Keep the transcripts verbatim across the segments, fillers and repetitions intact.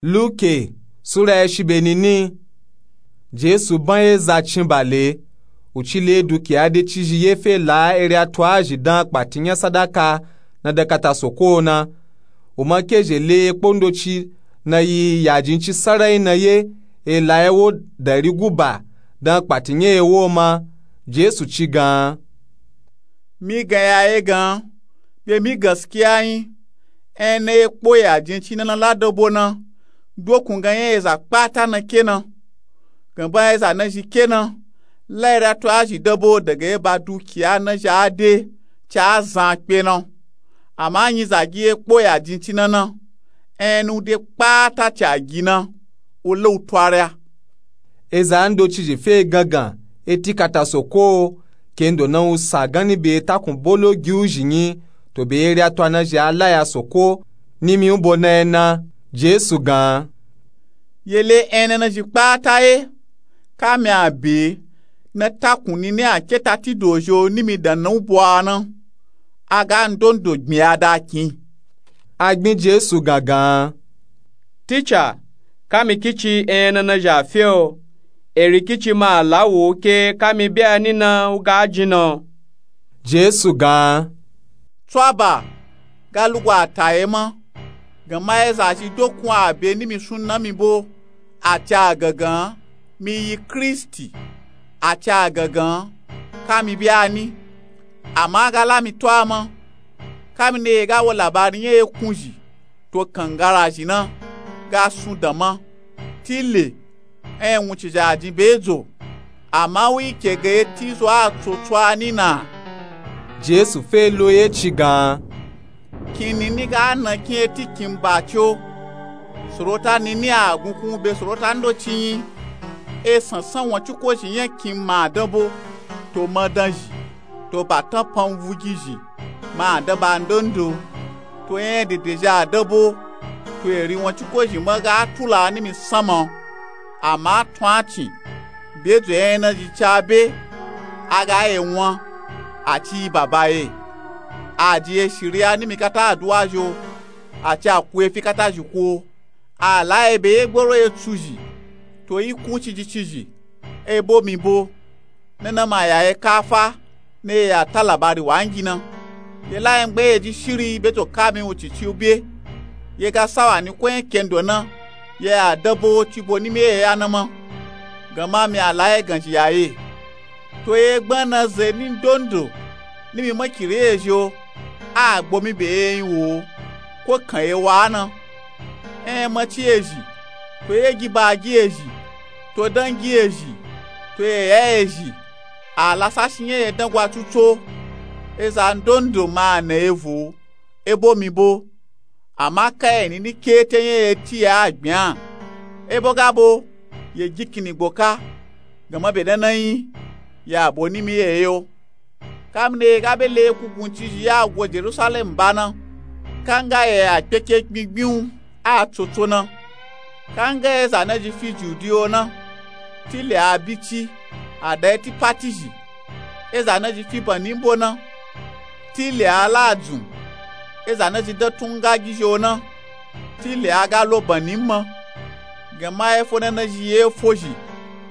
Luke sura ya shi be nini. Jesu ban ye za cin ba le, u ci le dukiya de cizhi ye fe la ere a twa zhi dan kpati nya sadaka na da kata soko na. U ma ke zhe le ye kpo ndoci na yi yajin ci sarai na ye e la ye wo dari guba dan kpati nya ye wo ma. Jesu ci gan. Mi gan ya ye gan be mi gaskiya yin. Ena ye kpo yajin ci na na la dabo na dokun gan nya ye za kpata na ke na. Gan ba ye za na zhi ke na la ere a twa zhi dabo daga ye ba dukiya na zhi a de ci a zan kpe na. Ama nyi za gi ye kpo yajin ci na na ena u de kpata ci a gi na u la u twa re a. Eza ndoci zhi fe gangan e ti kata soko. Kendo na u sa gani be takun bolo gi u zhi nyi to be ere a twa na zhi a la ya soko. Nimi u bo na ye na. Jesu gan. Ye le ena na zhi kpata ye. Kami a be na takun nini a ke ta ti do zhi o nimi dan na u bo a na. A ga ndondo gbin ya da kin. A gbin Jesu gan gan. Ticha, kami kici ena na zhi a fe o. Eri kici ma a la wo ke kami be a ni na u ga jin na. Jesu gan. Twa ba ga lugu a ta ye ma. Gan ma ye za zhi dokun a be nimi sun na mi bo a ci a gangan mi yi Kristi. A ci a gangan kami be a ni. Ama a ga la mi twa ma. Kami na ye ga wo labari nya ye kun zhi to kangara zhi na ga sun dan ma. Ti le ena wuncin zhi a jin be dzo. Ama u yi ke ga ye ti zo a tsotso a ni na. Jesu fe lo ye ci gan. Kin nini ga na kin ye ti kin ba ci o. Sorota nini a gunkun be sorota ndoci yin. E sansan wanciko zhi nya kin ma dan bo to ma dan zhi to ba tan pan vugi zhi ma a dan ba ndondo. To nya ye dede zhi a dan bo to eri wanciko zhi ma ga tula nimi san ma. Ama tun a cin be dzo nya ye na zhi ca be a ga ye wan. A ci yi baba ye. A ji ye shiri a nimi kata aduwa zhi o. A ci a ku ye fi kata zhi ku o. A la ye be ye gboro ye tsu zhi to yi kun ciji ciji. E bo mi bo na na ma ya ye kafa na ye ya ta labari wa ngi na. Ye la ye ngbe ye ji shiri be to kami wuncin ci u be. Ye ga sawa ni ko nya kendo na ye ya dan bo ci bo nimi ye ya na ma. Gan ma mi a la ye gan zhi ya ye. To ye gbana ze ni ndondo nimi makiri ye zhi o. A gbo mi be ye yin wo ko kan ye wa na. Ena ma ci ye zhi to ye gi ba gi ye zhi to dan gi ye zhi to ye ya ye zhi. A la sa shi nya ye dan gwa tuto. Eza ndondo ma a na ye vo e bo mi bo. Ama ka ye nini ke te nya ye ti ye a gbin a. E bo ga bo ye gi kini gbo ka. Gan ma be dan na yin ya bo nimi ye ye o. Kami na ye ga be le kugun cizhi ya go Jerusalem ba na. Kanga ye a kpeke gbingbin u a tsotso na. Kanga ye za na zhi fi judi o na. Ti le a bici a da ye ti pati zhi. Ye za na zhi fi bani mbo na. Ti le a la dzun. Ye za na zhi dan tun nga gi zhi o na. Ti le a ga lo bani mma. Gan ma ye fo na na zhi ye fo zhi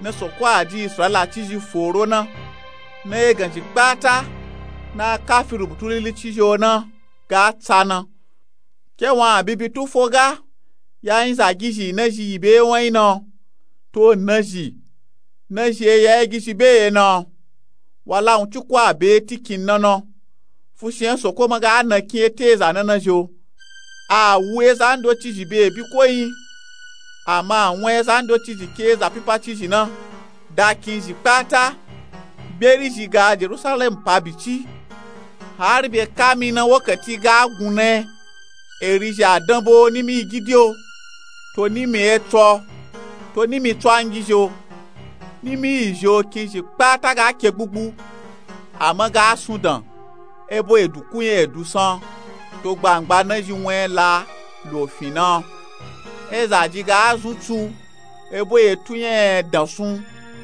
na soko a ji israila cizhi foro na. Na ye gan zhi kpata na a kafi rubutu lili cizhi o na ga tsa na. Ke wan a bibi tufo ga ya yin za gi zhi na zhi yi be ye wan yin na. To na zhi na zhi ye ya ye gi zhi be ye na. Wa la wunciko a be ye ti kin na na. Fushi nya soko ma ga na kin ye te eza na na zhi o. A wu eza ndoci zhi be ye bi ko yin. Ama a wan eza ndoci zhi ke eza pipa cizhi na. Da kin zhi kpata. Beri zhi ga jerusalem pa bici. Hari be kami na wokati ga gun na ye. Eri zhi a dan bo nimi yi gidi o. To nimi ye tso to nimi tso a ngi zhi o. Nimi yi zhi o kin zhi kpata ga ke gbugbu. Ama ga sun dan e bo edu ku nya edu san. To gbangba na zhi wan ye la lo fin na. Eza ji ga zun tsu e bo ye tu nya ye dan sun.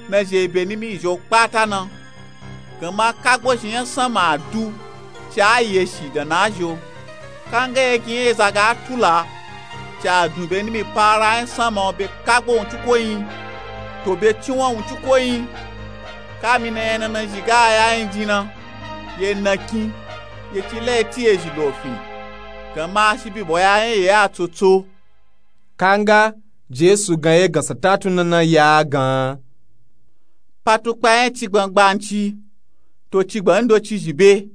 Na zhi e be nimi yi zhi o kpata na. Gan ma kagbo zhi nya san ma a du ci a ye shi dan na zhi o. Kanga ye gi nya eza ga tula Ca dun be nimi para nya sanma o be kagbo wunciko yin, to be cinwan wunciko yin. Kamina enya nana zhi ga ya yin jin na, ye nakin, ye ci la ye ti ye zhi lofin. Ganma a shi bibo ya nya ye a tsotso. Kanga, Jesu gan ye gansa tatu nana ya a gan. Patukpa nya cigban gbanci, to cigban ndoci zhi be.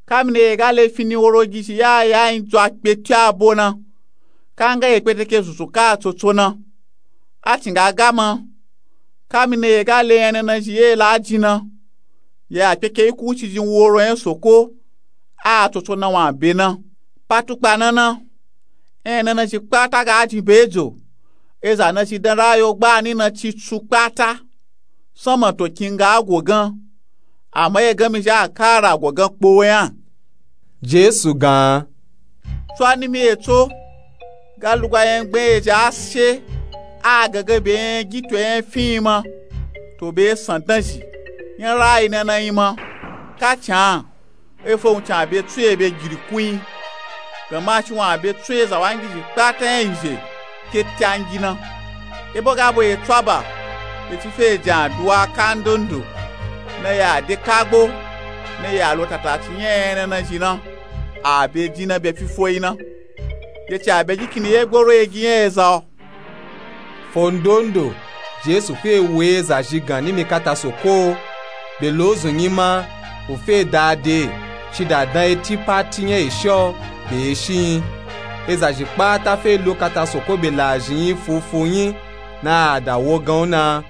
Kamina ye ga le fini woro gi zhi ya ya yin dzwa kpe ti abo na, kanga ye kpeteke zunzun ka a tsotso na. A cin ga gama. Kamina ye ga le enya nana zhi ye la jin na, ye a kpeke yi kuci jin woro nya soko, a a tsotso na wan be na. Patukpa nana, enya nana zhi kpata ga jin be jo. Eza na zhi dan rayo gbani na ci tsu kpata, sanma to kin ga a go gan. Ama ye gan mi zhi a kara go gan kpo we nya. Jesu gan. Tso a nimi ye tso, ga lugwa nya gban ye zhi a she, a gangan be nya gi to nya fin yin ma, to be san dan zhi, nya rayi nana yin ma. Ka can, efo wuncin a be tso ye be girikun yin. Ganma a shi wan a be tso ye za wa ngi zhi kpata nya yi zhe, ke ti a ngi na. Ebo ga bo ye tso a ba, ye ci fe ye jin aduwa kandondo, na ye a de kagbo, na ye a lo tataci nya enya nana zhi na, a be jin na be fifo yin na. Ye ci a be jikini ye gboro ye gi nya eza o. Fo ndondo, Jesu fe wo eza zhi gan nimi kata soko, be lo zun yin ma, u fe da de, ci da dan ye ti pati nya ye shi o, be ye shi yin. Eza zhi kpata fe lo kata soko be la zhi yin fufu yin, na a da wo gan u na.